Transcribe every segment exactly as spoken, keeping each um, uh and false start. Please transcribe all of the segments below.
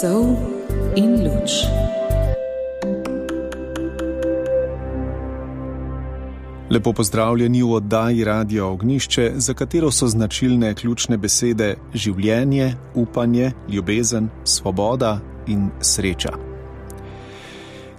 Sol in luč. Lepo pozdravljeni v oddaji Radia Ognjišče, za katero so značilne ključne besede življenje, upanje, ljubezen, svoboda in sreča.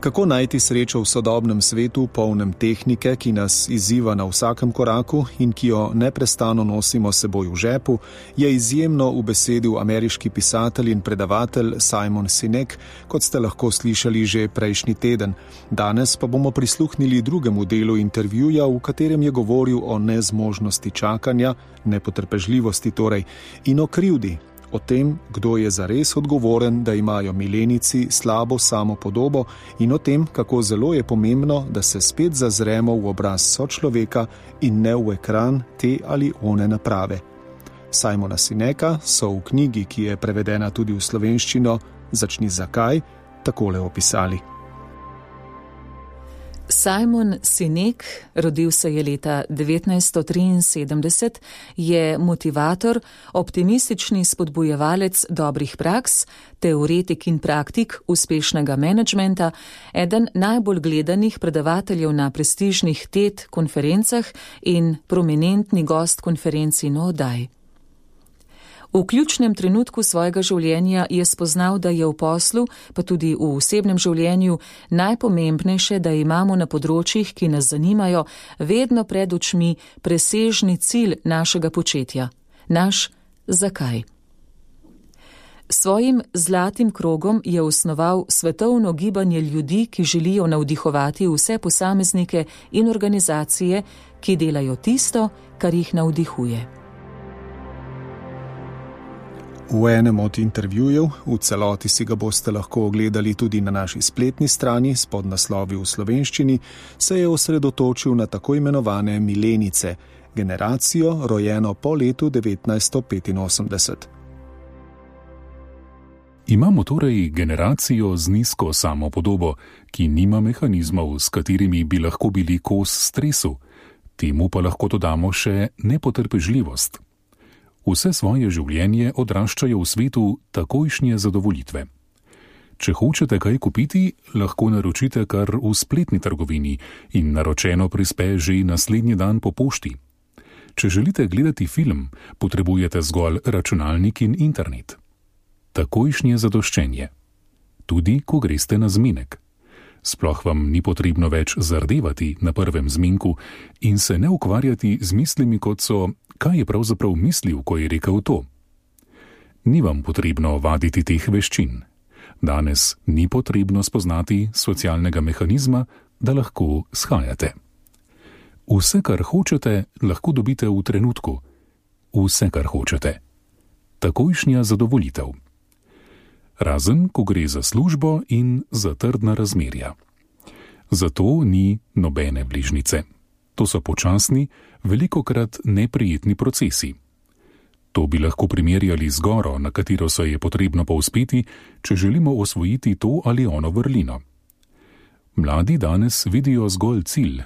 Kako najti srečo v sodobnem svetu, polnem tehnike, ki nas izziva na vsakem koraku in ki jo neprestano nosimo seboj v žepu, je izjemno ubesedil ameriški pisatelj in predavatelj Simon Sinek, kot ste lahko slišali že prejšnji teden. Danes pa bomo prisluhnili drugemu delu intervjuja, v katerem je govoril o nezmožnosti čakanja, nepotrpežljivosti torej, in o krivdi. O tem, kdo je zares odgovoren, da imajo milenici slabo samopodobo, in o tem, kako zelo je pomembno, da se spet zazremo v obraz sočloveka in ne v ekran te ali one naprave. Simona Sineka so v knjigi, ki je prevedena tudi v slovenščino Začni zakaj, takole opisali. Simon Sinek, rodil se je leta devetnajststo triinsedemdeset, je motivator, optimistični spodbujevalec dobrih praks, teoretik in praktik uspešnega menedžmenta, eden najbolj gledanih predavateljev na prestižnih TED konferencah in prominentni gost konferenc in oddaj. V ključnem trenutku svojega življenja je spoznal, da je v poslu, pa tudi v osebnem življenju, najpomembnejše, da imamo na področjih, ki nas zanimajo, vedno pred očmi presežni cilj našega početja. Naš zakaj. Svojim zlatim krogom je osnoval svetovno gibanje ljudi, ki želijo navdihovati vse posameznike in organizacije, ki delajo tisto, kar jih navdihuje. V enem od intervjujev, v celoti si ga boste lahko ogledali tudi na naši spletni strani s podnaslovi v slovenščini, se je osredotočil na tako imenovane milenice, generacijo rojeno po letu devetnajststo petinosemdeset. Imamo torej generacijo z nizko samopodobo, ki nima mehanizmov, s katerimi bi lahko bili kos stresu, temu pa lahko dodamo še nepotrpežljivost. Vse svoje življenje odraščajo v svetu takojšnje zadovoljitve. Če hočete kaj kupiti, lahko naročite kar v spletni trgovini in naročeno prispe že naslednji dan po pošti. Če želite gledati film, potrebujete zgolj računalnik in internet. Takojšnje zadoščenje. Tudi, ko greste na zmenek. Sploh vam ni potrebno več zardevati na prvem zmenku in se ne ukvarjati z mislimi, kot so, kaj je pravzaprav mislil, ko je rekel to. Ni vam potrebno vaditi teh veščin. Danes ni potrebno spoznati socialnega mehanizma, da lahko shajate. Vse, kar hočete, lahko dobite v trenutku. Vse, kar hočete. Takojšnja zadovoljitev. Razen, ko gre za službo in za trdna razmerja. Zato ni nobene bližnjice. To so počasni, velikokrat neprijetni procesi. To bi lahko primerjali z goro, na katero se je potrebno povzpeti, če želimo osvojiti to ali ono vrlino. Mladi danes vidijo zgolj cilj,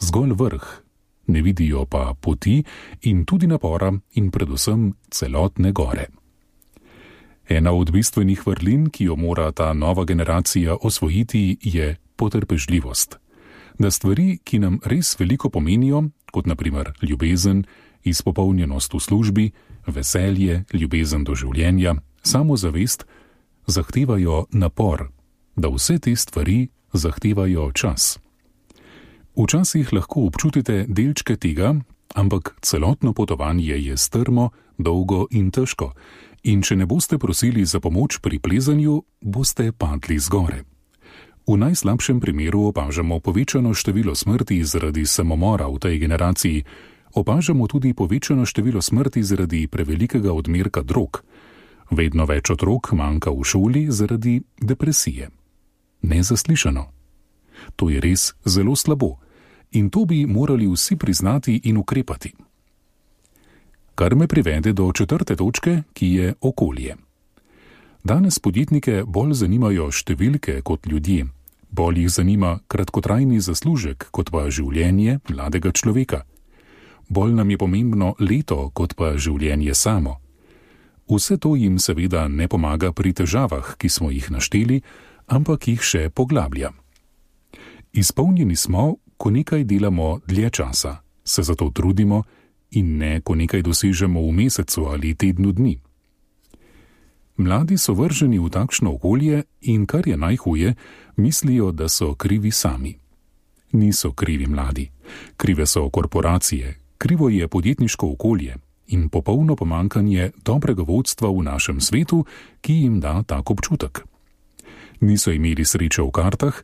zgolj vrh, ne vidijo pa poti in tudi napora in predvsem celotne gore. Ena od bistvenih vrlin, ki jo mora ta nova generacija osvojiti, je potrpežljivost. Da stvari, ki nam res veliko pomenijo, kot na primer ljubezen, izpopolnjenost v službi, veselje, ljubezen do življenja, samozavest, zahtevajo napor, da vse te stvari zahtevajo čas. Včasih lahko občutite delčke tega, ampak celotno potovanje je strmo, dolgo in težko, in če ne boste prosili za pomoč pri plezanju, boste padli z gore. V najslabšem primeru opažamo povečano število smrti zaradi samomora v tej generaciji, opažamo tudi povečano število smrti zaradi prevelikega odmerka drog. Vedno več otrok manjka v šoli zaradi depresije. Nezaslišano. To je res zelo slabo in to bi morali vsi priznati in ukrepati. Kar me privede do četrte točke, ki je okolje. Danes podjetnike bolj zanimajo številke kot ljudje, bolj jih zanima kratkotrajni zaslužek kot pa življenje mladega človeka. Bolj nam je pomembno leto kot pa življenje samo. Vse to jim seveda ne pomaga pri težavah, ki smo jih našteli, ampak jih še poglablja. Izpolnjeni smo, ko nekaj delamo dlje časa, se zato trudimo in ne, ko nekaj dosežemo v mesecu ali tednu dni. Mladi so vrženi v takšno okolje in, kar je najhuje, mislijo, da so krivi sami. Niso krivi mladi. Krive so korporacije, krivo je podjetniško okolje in popolno pomanjkanje dobrega vodstva v našem svetu, ki jim da tak občutek. Niso imeli sreče v kartah,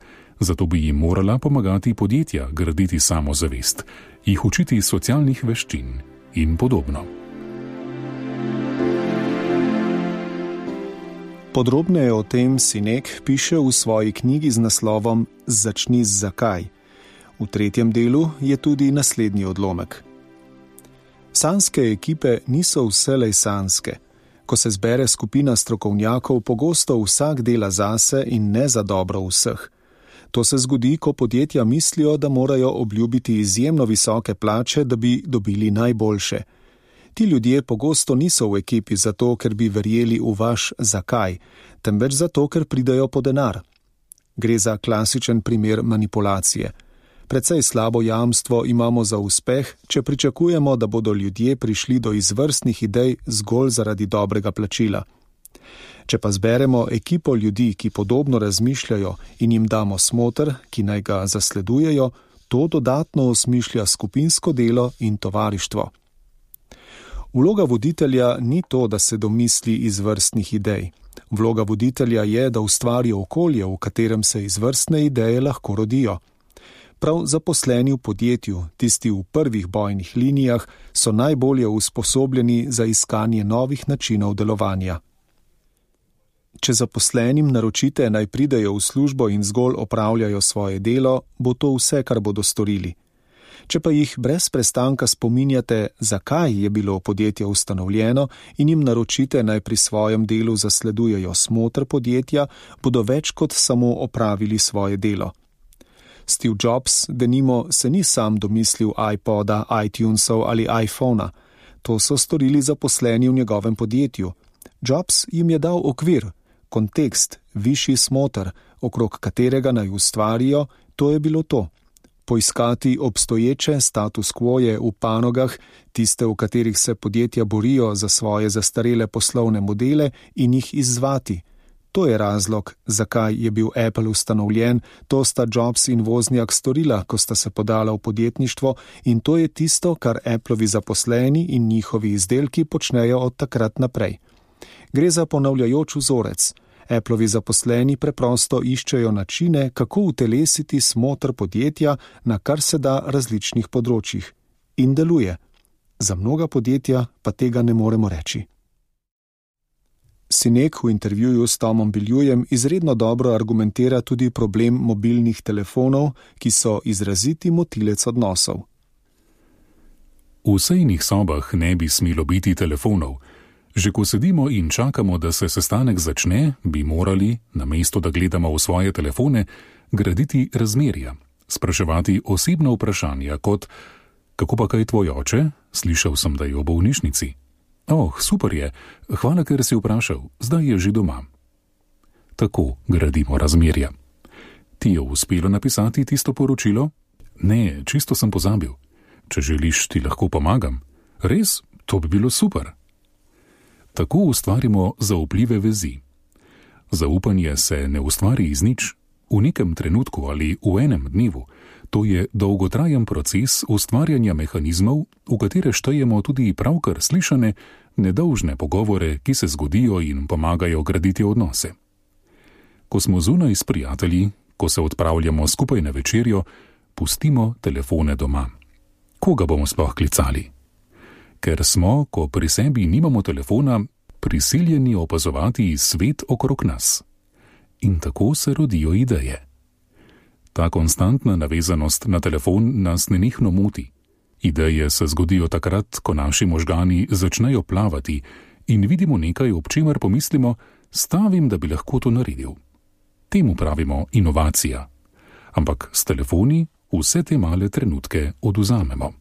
zato bi jim morala pomagati podjetja graditi samozavest, jih učiti socialnih veščin in podobno. Podrobneje o tem Sinek piše v svoji knjigi z naslovom Začni z zakaj. V tretjem delu je tudi naslednji odlomek. Sanske ekipe niso vselej sanske. Ko se zbere skupina strokovnjakov, pogosto vsak dela zase in ne za dobro vseh. To se zgodi, ko podjetja mislijo, da morajo obljubiti izjemno visoke plače, da bi dobili najboljše. Ti ljudje pogosto niso v ekipi zato, ker bi verjeli v vaš zakaj, temveč zato, ker pridajo po denar. Gre za klasičen primer manipulacije. Precej slabo jamstvo imamo za uspeh, če pričakujemo, da bodo ljudje prišli do izvrstnih idej zgolj zaradi dobrega plačila. Če pa zberemo ekipo ljudi, ki podobno razmišljajo in jim damo smoter, ki naj ga zasledujejo, to dodatno osmišlja skupinsko delo in tovarištvo. Vloga voditelja ni to, da se domisli izvrstnih idej. Vloga voditelja je, da ustvari okolje, v katerem se izvrstne ideje lahko rodijo. Prav zaposleni v podjetju, tisti v prvih bojnih linijah, so najbolje usposobljeni za iskanje novih načinov delovanja. Če zaposlenim naročite, naj pridejo v službo in zgolj opravljajo svoje delo, bo to vse, kar bodo storili. Če pa jih brez prestanka spominjate, zakaj je bilo podjetje ustanovljeno, in jim naročite, naj pri svojem delu zasledujejo smoter podjetja, bodo več kot samo opravili svoje delo. Steve Jobs, denimo, se ni sam domislil iPoda, iTunesov ali iPhona. To so storili zaposleni v njegovem podjetju. Jobs jim je dal okvir, kontekst, višji smoter, okrog katerega naj ustvarijo, to je bilo to. Poiskati obstoječe status quoje v panogah, tiste, v katerih se podjetja borijo za svoje zastarele poslovne modele in jih izzvati. To je razlog, zakaj je bil Apple ustanovljen, to sta Jobs in Wozniak storila, ko sta se podala v podjetništvo, in to je tisto, kar Appleovi zaposleni in njihovi izdelki počnejo od takrat naprej. Gre za ponavljajoč vzorec. Appleovi zaposleni preprosto iščejo načine, kako utelesiti smoter podjetja na kar se da različnih področjih. In deluje. Za mnoga podjetja pa tega ne moremo reči. Sinek v intervjuju s Tomom Biljujem izredno dobro argumentira tudi problem mobilnih telefonov, ki so izraziti motilec odnosov. V sejnih sobah ne bi smelo biti telefonov. Že ko sedimo in čakamo, da se sestanek začne, bi morali, namesto da gledamo v svoje telefone, graditi razmerja, spraševati osebna vprašanja kot: kako pa kaj tvoj oče? Slišal sem, da je v bolnišnici. Oh, super je, hvala, ker si vprašal, zdaj je že doma. Tako gradimo razmerja. Ti je uspelo napisati tisto poročilo? Ne, čisto sem pozabil. Če želiš, ti lahko pomagam. Res? To bi bilo super. Tako ustvarimo zaupljive vezi. Zaupanje se ne ustvari iz nič, v nekem trenutku ali v enem dnevu. To je dolgotrajen proces ustvarjanja mehanizmov, v katere štejemo tudi pravkar slišane, nedolžne pogovore, ki se zgodijo in pomagajo graditi odnose. Ko smo zunaj s prijatelji, ko se odpravljamo skupaj na večerjo, pustimo telefone doma. Koga bomo sploh klicali? Ker smo, ko pri sebi nimamo telefona, prisiljeni opazovati svet okrog nas. In tako se rodijo ideje. Ta konstantna navezanost na telefon nas nenehno moti. Ideje se zgodijo takrat, ko naši možgani začnejo plavati in vidimo nekaj, ob čemer pomislimo, stavim, da bi lahko to naredil. Temu pravimo inovacija. Ampak s telefoni vse te male trenutke odvzamemo.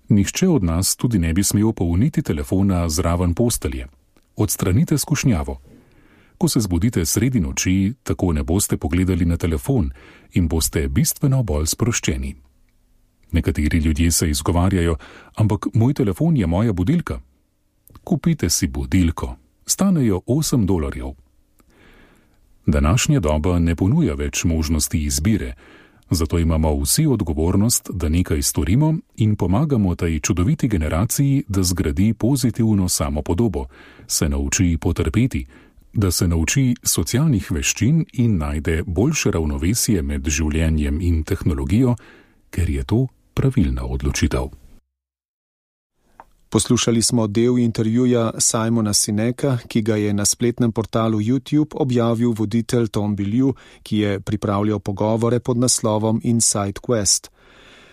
Nihče od nas tudi ne bi smel polniti telefona zraven postelje. Odstranite skušnjavo. Ko se zbudite sredi noči, tako ne boste pogledali na telefon in boste bistveno bolj sproščeni. Nekateri ljudje se izgovarjajo, ampak moj telefon je moja budilka. Kupite si budilko. Stanejo osem dolarjev. Današnja doba ne ponuja več možnosti izbire, zato imamo vsi odgovornost, da nekaj storimo in pomagamo tej čudoviti generaciji, da zgradi pozitivno samopodobo, se nauči potrpeti, da se nauči socialnih veščin in najde boljše ravnovesje med življenjem in tehnologijo, ker je to pravilna odločitev. Poslušali smo del intervjuja Simona Sineka, ki ga je na spletnem portalu YouTube objavil voditelj Tom Bilyeu, ki je pripravljal pogovore pod naslovom Inside Quest.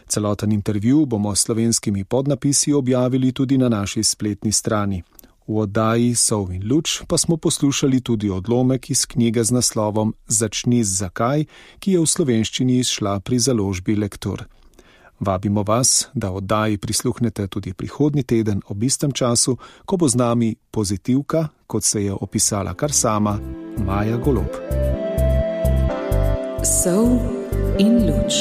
Celoten intervju bomo s slovenskimi podnapisi objavili tudi na naši spletni strani. V oddaji Sol in luč pa smo poslušali tudi odlomek iz knjige z naslovom Začni z zakaj, ki je v slovenščini izšla pri založbi Lektor. Vabimo vas, da oddaji prisluhnete tudi prihodnji teden ob istem času, ko bo z nami pozitivka, kot se je opisala kar sama, Maja Golob. Sol in luč.